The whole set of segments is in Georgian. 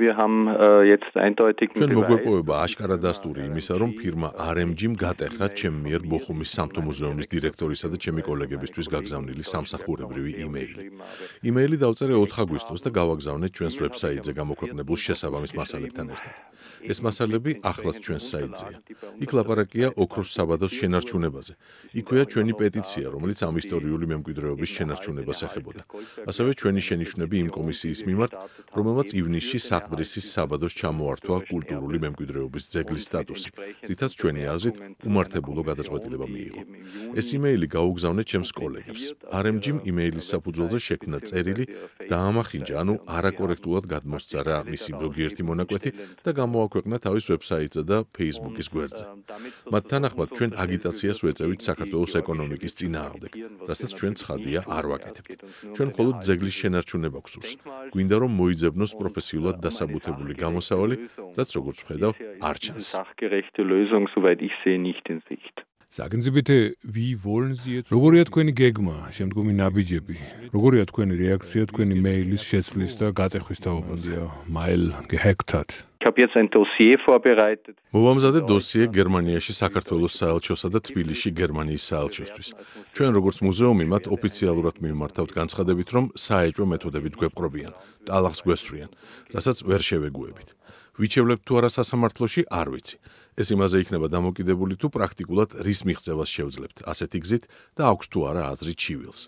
Wir haben jetzt eindeutig ჩვენ მოგვეპოვება აშკარა დასტური იმისა, რომ ფირმა RMG-მ გატეხა ჩემ მიერ ბოხუმის სამთო მუზეუმის დირექტორისა და ჩემი კოლეგებისთვის გაგზავნილი სამსახურებრივი იმეილი. იმეილი დავწერე 4 აგვისტოს და გავაგზავნე ჩვენს ვებსაიტზე გამოქვეყნებულ შესაბამის მასალებთან ერთად. ეს მასალები ახლაც ჩვენს საიტზეა. იქ ლაპარაკია ოქროს საბადოს შენარჩუნებაზე. იქვეა ჩვენი პეტიცია, რომელიც ამ ისტორიული მემკვიდრეობის შენარჩუნებას ეხებოდა. ასევე ჩვენი შენიშვნები იმ კომისიის მიმართ, რომელმაც ივნისში საყდრისის საბადოს ჩამოართვა კულტურული მემკვიდრეობის ძეგლის სტატუსი, რითაც ჩვენი აზრით უმართებულო გადაწყვეტილება მიიღო. ეს იმეილი გაუგზავნე ჩემს კოლეგებს. RMG-მ იმეილის საფუძველზე შექმნა წერილი, დაამახინჯა, ანუ არაკორექტულად გადმოსწარა მისი ზოგიერთი მონაკვეთი და გამოაქვეყნა თავის ვებსაიტზე და Facebook-ის გვერდზე. მათ თანახმად ჩვენ აგიტაციას ვეწევით საქართველოს ეკონომიკის წინააღმდეგ, რასაც ჩვენ ცხადია არ ვაკეთებთ. ჩვენ მხოლოდ ძეგლის შენარჩუნება გვსურს. გვინდა რომ მოიძებნოს პროფესიულად დასაბუთებული გამოსავალი, რაც როგორც ვხედავ, არ ჩანს. Sagen Sie bitte, wie wollen Sie jetzt? როგორია თქვენი გეგმა, შემდგომი ნაბიჯები? როგორია თქვენი რეაქცია თქვენი მეილის შეცვლის და გატეხვის თაობაზე? Mail gehackt hat. Ich habe jetzt ein Dossier vorbereitet. მოვამზადე დოსიე გერმანიაში საქართველოს საელჩოსა და თბილისში გერმანიის საელჩოსთვის. ჩვენ როგორც მუზეუმი მათ ოფიციალურად მივმართავთ განცხადებით, რომ საეჭვო მეთოდებით გვეპყრობიან, ტალახს გვესვრიან, რასაც ვერ შევეგუებით. ვიჩევლებთ თუ არა სასამართლოში, არ ვიცი. ეს იმაზე იქნება დამოკიდებული თუ პრაქტიკულად რის მიღწევას შევძლებთ, ასეთი გზით და აქვს თუ არა აზრი ჩივილს.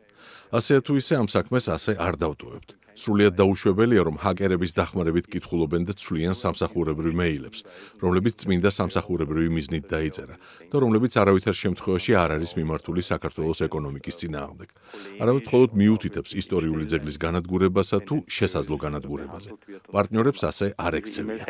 ასე თუ ისე ამ საქმეს ასე არ დავტოვებთ. სრულიად დაუშვებელია, რომ ჰაკერების დახმარებით კითხულობენ და ცვლიან სამსახურებრივ მეილებს, რომლებიც წმინდა სამსახურებრივი მიზნით დაიწერა და რომლებიც არავითარ შემთხვევაში არ არის მიმართული საქართველოს ეკონომიკის წინააღმდეგ. არამედ მხოლოდ მიუთითებს ისტორიული ძეგლის განადგურებასა თუ შესაძლო განადგურებაზე. პარტნიორებს ასე არ ექცევია.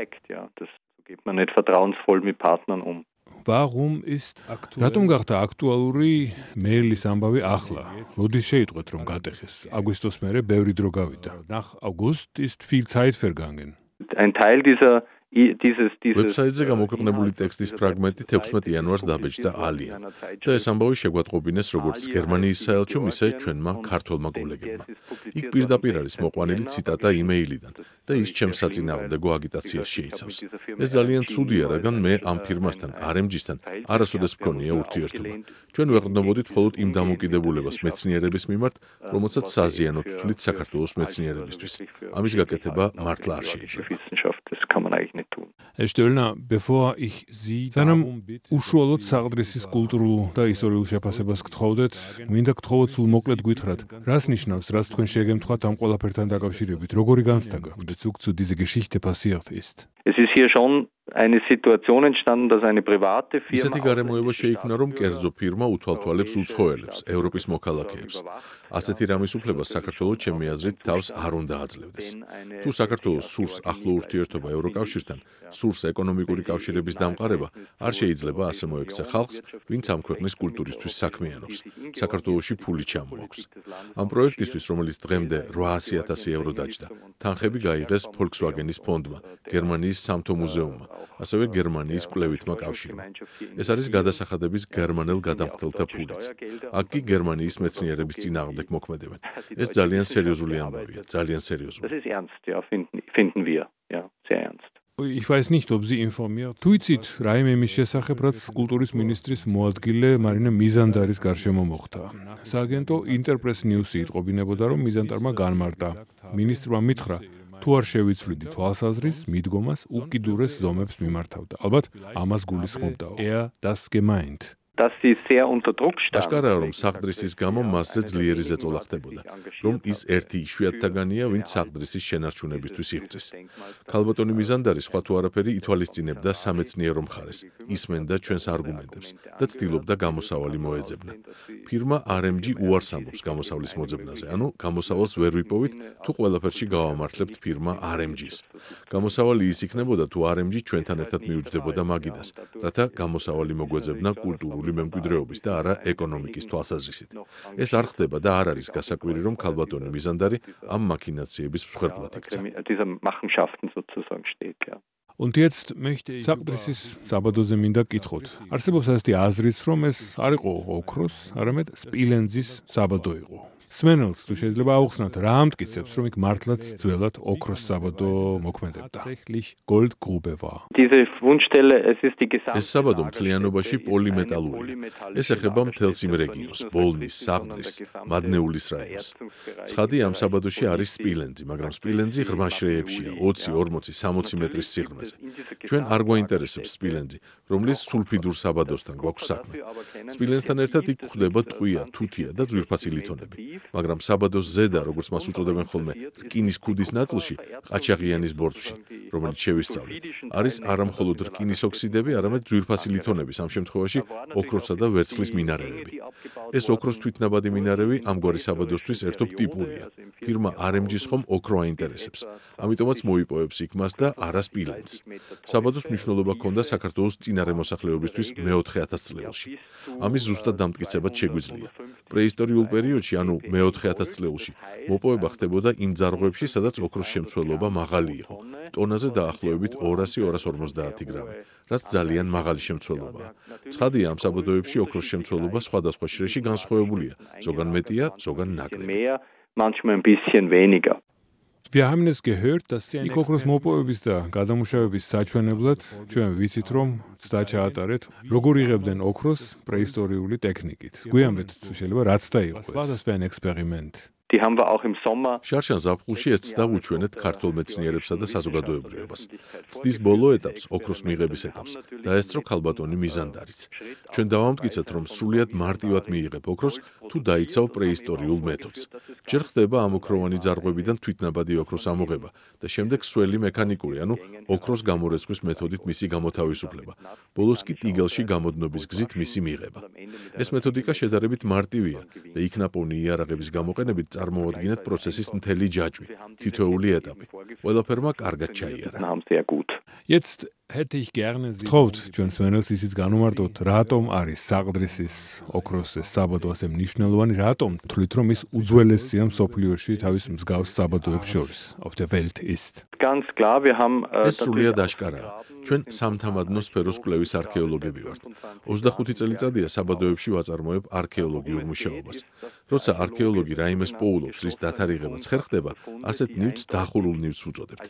Geht man nicht vertrauensvoll mit Partnern um. Warum ist რატომ გახდა აქტუალური მეილის ამბავი ახლა? როდის შეიტყვეთ რომ გატეხეს? აგვისტოს მერე ბევრი დრო გავიდა. Nach August ist viel Zeit vergangen. Ein Teil dieses ვებსაიტზე გამოქვეყნებული ტექსტის ფრაგმენტი 16 იანვარს დაბეჭდა ალიან და ეს ამბავი შეგვატყობინეს როგორც გერმანიის საელჩომ, ისე ჩვენმა ქართველმა კოლეგებმა. იქ პირდაპირ არის მოყვანილი ციტატა იმეილიდან და ის ჩემს საწინააღმდეგო აგიტაციას შეიცავს. ეს ძალიან ცუდია, რადგან მე ამ ფირმასთან, RMG-სთან არასოდეს მქონია ურთიერთობა. ჩვენ ვეყრდნობოდით მხოლოდ იმ დამოკიდებულებას მეცნიერების მიმართ, რომელსაც საზიანოდ თვლით საქართველოს მეცნიერებისთვის. ამის გაკეთება მართლა არ შეიძლება. Herr Stöllner, bevor ich Sie სანამ უშუალოდ საყდრისის კულტურულ და ისტორიულ შეფასებას გთხოვდეთ, მინდა გთხოვოთ სულ მოკლედ გითხრათ, რას ნიშნავს, რაც თქვენ შეგემთხვათ ამ ყველაფერთან დაკავშირებით, როგორი განცდა გაქვთ, Bezug zu dieser Geschichte passiert ist? Es ist hier schon eine Situation entstanden, dass eine private Firma ისეთი გარემოება შეიქმნა, რომ კერძო ფირმა უთვალთვალებს უცხოელებს, ევროპის მოქალაქეებს. ასეთი რამის უფლებას საქართველოს ჩემი აზრით თავს არ უნდა აძლევდეს. თუ საქართველოს სურს ახლო ურთიერთობა ევროკავშირთან, სურს ეკონომიკური კავშირების დამყარება, არ შეიძლება ასე მოექცა ხალხს, ვინც ამ ქვეყნის კულტურისთვის საქმიანობს. საქართველოში ფული ჩამოაქვს. ამ პროექტისთვის, რომელიც დღემდე 800,000 ევრო დაჯდა, თანხები გაიღეს Volkswagen-ის ფონდმა, გერმანიის სამთო მუზეუმმა, ასევე გერმანიის კვლევითმა კავშირმა. ეს არის გადასახადების გერმანელ გადამხდელთა ფულიც. აქ კი გერმანიის მეცნიერების წინააღმდეგ მოქმედებენ. ეს ძალიან სერიოზული ამბავია, ძალიან სერიოზული. Das ist ernst, ja, finden wir, ja, sehr ernst. Ich weiß nicht, ob Sie informiert. თუ იცით, რაიმე იმის შესახებ, რაც კულტურის მინისტრის მოადგილე მარინა მიზანდარის გარშემო მოხდა. სააგენტო Interpress News-ი იტყობინებოდა, რომ მიზანდარმა განმარტა. მინისტრმა მითხრა, თუ არ შევიცვლიდი თვალსაზრის, მიდგომას უკიდურეს ზომებს მიმართავდა. ალბათ ამას გულისხმობდა. Das gemeint. Dass sie sehr unter Druck standen. აშკარაა, რომ საყდრისის გამო მასზე ძლიერი ზეწოლა ხდებოდა, რომ ის ერთი იშვიათთაგანია, ვინც საყდრისის შენარჩუნებისთვის იღწის. ქალბატონი მიზანდარი სხვა თუ არაფერი ითვალისწინებდა სამეცნიერო მხარეს, ისმენდა ჩვენს არგუმენტებს და ცდილობდა გამოსავალი მოეძებნა. ფირმა RMG უარს ამბობს გამოსავლის მოძებნაზე, ანუ გამოსავალს ვერ ვიპოვით, თუ ყველაფერში გავამართლებთ ფირმა RMG-ს. გამოსავალი ის იქნებოდა, თუ RMG ჩვენთან ერთად მიუჯდებოდა მაგიდას, რათა გამოსავალი მოგვეძებნა კულტურული მემკვიდრეობის და არა ეკონომიკის თვალსაზრისით. ეს არ ხდება და არ არის გასაკვირი, რომ ქალბატონი მიზანდარი ამ მაქინაციების მსხვერპლად იქცა. Dieser Machenschaften sozusagen steht, ja. Und jetzt möchte ich საყდრისის საბადოზე მინდა გკითხოთ. არსებობს ასეთი აზრიც, რომ ეს არ იყო ოქროს, არამედ სპილენძის საბადო იყო. სმენელს თუ შეიძლება აუხსნათ რა ამტკიცებს, რომ იქ მართლაც ძველად ოქროს საბადო მოქმედებდა. Goldgrube war. ეს საბადო მთლიანობაში პოლიმეტალურია. ეს ეხება მთელს იმ რეგიონს, ბოლნის, საღდრის, მადნეულის რაიონს. ცხადი ამ საბადოში არის სპილენძი, მაგრამ სპილენძი ღრმა შრეებშია, 20, 40, 60 მეტრის სიღრმეზე. ჩვენ არ გვაინტერესებს სპილენძი, რომლის სულფიდურ საბადოსთან გვაქვს საქმე. სპილენძთან ერთად იქ გვხვდება ტყვია, თუთია და ძვირფასი ლითონები. მაგრამ საბადოს ზედა, როგორც მას უწოდებენ ხოლმე, რკინის ქუდის ნაწილში, ყაჩაღიანის ბორცვში, რომელიც შევისწავლეთ, არის არა მხოლოდ რკინის ოქსიდები, არამედ ძვირფასი ლითონების, ამ შემთხვევაში ოქროსა და ვერცხლის მინარევები. ეს ოქროს თვითნაბადი მინარევი ამგვარი საბადოსთვის ერთობ ტიპურია. ფირმა RMG-ს ხომ ოქრო აინტერესებს. ამიტომაც მოიპოვებს იქ მას და არა სპილენძს. საბადოს მნიშვნელობა ჰქონდა საქართველოს წინარე მოსახლეობისთვის მე-4 ათასწლეულში. ამის ზუსტად დამტკიცებაც შეგვიძლია. პრეისტორიულ პერიოდში, ანუ მე-4 ათასწლეულში, მოპოვება ხდებოდა იმ ძარღვებში, სადაც ოქროს შემცველობა მაღალი იყო. ტონაზე დაახლოებით 200-250 გრამი, რაც ძალიან მაღალი შემცველობაა. ცხადია, ამ საბადოებში ოქროს შემცველობა სხვადასხვა შრეში განსხვავებულია, ზოგან მეტია, ზოგან ნაკლები. Wir haben es gehört, dass Sie იქ ოქროს მოპოვების და გადამუშავების საჩვენებლად ჩვენ ვიცით, რომ ცდა ჩაატარეთ, როგორ იღებდნენ ოქროს პრეისტორიული ტექნიკით. გვიამბეთ, თუ შეიძლება რაც და იყო. Was das für ein Experiment? შარშან ზაფხულში ეს ცდა უჩვენეთ ქართველ მეცნიერებსა და საზოგადოებრიობას. ცდის ბოლო ეტაპს, ოქროს მიღების ეტაპს, დაესწრო ქალბატონი მიზანდარიც. ჩვენ დავამტკიცეთ, რომ სრულიად მარტივად მიიღებ ოქროს, თუ დაიცავ პრეისტორიულ მეთოდს. ჯერ ხდება ამოქროვანი ძარღვებიდან თვითნაბადი ოქროს ამოღება და შემდეგ სველი მექანიკური, ანუ ოქროს გამორეცხვის მეთოდით მისი გამოთავისუფლება. ბოლოს კი ტიგელში გამოდნობის გზით მისი მიღება. ეს მეთოდიკა შედარებით მარტივია და იქ ნაპოვნი იარაღების გამოყენებით წარმოადგენთ პროცესის მთელი ჯაჭვი, თითოეული ეტაპი. ყველაფერმა კარგად ჩაიარა. Jetzt hätte ich gerne Sie თხოვთ ჩვენ სმენელს ისიც განუმარტოთ, რატომ არის საყდრისის ოქროს ეს საბადო ასე მნიშვნელოვანი, რატომ თვლით, რომ ის უძველესია მსოფლიოში თავის მსგავს საბადოებს შორის, auf der Welt ist. ეს სრულიად აშკარაა. ჩვენ სამთამადნო სფეროს კვლევის არქეოლოგები ვართ. 25 წელიწადია საბადოებში ვაწარმოებ არქეოლოგიურ მუშაობას. როცა არქეოლოგი რაიმეს პოულობს, რის დათარიღებაც ხერხდება, ასეთ ნივთს დახურულ ნივთს ვუწოდებთ.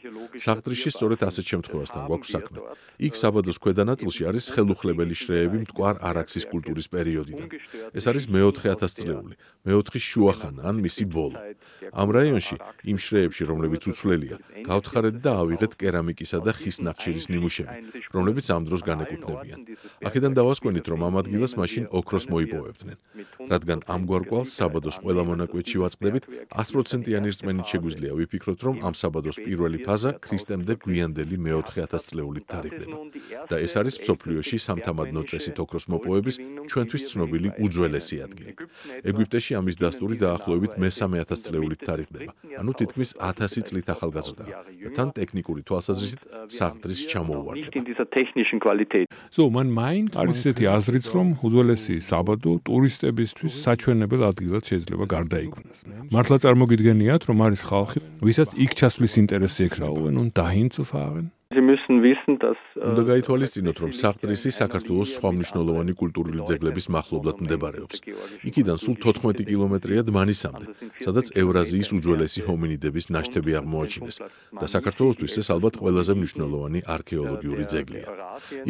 საყდრისში სწორედ ასეთ შემთხვევასთან გვაქვს საქმე. იქ საბადოს ქვედა ნაწილში არის ხელუხლებელი შრეები მტკვარ არაქსის კულტურის პერიოდიდან. ეს არის მე-4 ათასწლეული, მე-4 შუახანა ან მისი ბოლო. ამ რაიონში, იმ შრეებში, რომლებიც უცვლელია, გავთხარეთ და ავიღეთ კერამიკისა და ხის ნახშირის ნიმუშები, რომლებიც ამ დროს განეკუთვნებიან. აქედან დავასკვენით, რომ ამ ადგილას მაშინ ოქროს მოიპოვებდნენ. რადგან ამგვარ კვალს საბადოს ყველა მონაკვეთში ვაწყდებით, 100%-იანი რწმენით შეგვიძლია ვიფიქროთ, რომ ამ საბადოს პირველი ფაზა ქრისტემდე გვიანდელი მე-4 ათასწლეულით თარიღდება. და ეს არის მსოფლიოში სამთამადნო წესით ოქროს მოპოვების ჩვენთვის ცნობილი უძველესი ადგილი. ეგვიპტეში ამის დასტური დაახლოებით მე-3 ათასწლეულით თარიღდება, ანუ თითქმის 1000 წლით ახალგაზრდაა და თან ტექნიკური თვალსაზრისით საყდრის ჩამოუვარდება. Man meint, არის ესეთი აზრიც, რომ უძველესი საბადო ტურისტებისთვის საჩვენებელ ადგილად შეიძლება გარდაიქმნას. მართლა წარმოგიდგენიათ, რომ არის ხალხი, ვისაც იქ ჩასვლის ინტერესი ექნება, und dahin zu fahren? უნდა გაითვალისწინოთ, რომ საყდრისი საქართველოს სხვა მნიშვნელოვანი კულტურული ძეგლების მახლობლად მდებარეობს. იქიდან სულ 14 კილომეტრია დმანისამდე, სადაც ევრაზიის უძველესი ჰომინიდების ნაშთები აღმოაჩინეს და საქართველოსთვის ეს ალბათ ყველაზე მნიშვნელოვანი არქეოლოგიური ძეგლია.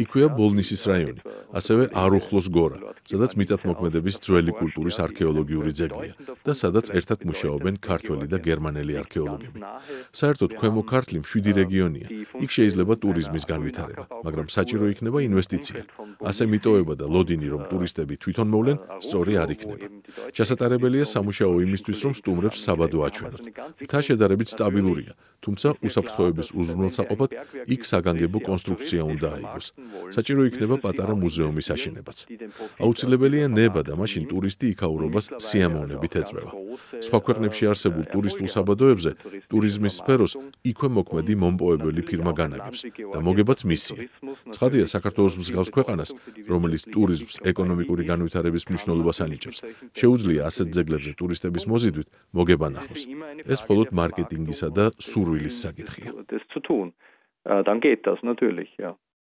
იქვეა ბოლნისის რაიონი, ასევე არუხლოს გორა, სადაც მიწათმოქმედების ძველი კულტურის არქეოლოგიური ძეგლია და სადაც ერთად მუშაობენ ქართველი და გერმანელი არქეოლოგები. საერთოდ ქვემო ქართლი 7 რეგიონია. იქ შეიძლება ტურიზმის განვითარება, მაგრამ საჭირო იქნება ინვესტიცია. ასე მიტოვება და ლოდინი, რომ ტურისტები თვითონ მოვლენ, სწორი არ იქნება. ჩასატარებელია სამუშაო იმისთვის, რომ სტუმრებს საბადო აჩვენოთ. მთა შედარებით სტაბილურია, თუმცა უსაფრთხოების უზრუნველსაყოფად იქ საგანგებო კონსტრუქცია უნდა აიგოს. საჭირო იქნება პატარა მუზეუმის აშენებაც. აუცილებელია ნება და მაშინ ტურისტი იქაურობას სიამოვნებით ეწვევა. სხვა ქვეყნებში არსებულ ტურისტულ საბადოებზე ტურიზმის სფეროს იქვე მოქმედი მომპოვებელი ფირმა განაგებს და მოგებაც მისია. ცხადია, საქართველოს მსგავს ქვეყანას, რომელიც ტურიზმს ეკონომიკური განვითარების მნიშვნელობას ანიჭებს, შეუძლია ასეთ ძეგლებზე ტურისტების მოზიდვით მოგება ნახოს. ეს მხოლოდ მარკეტინგისა და სურვილის საკითხია.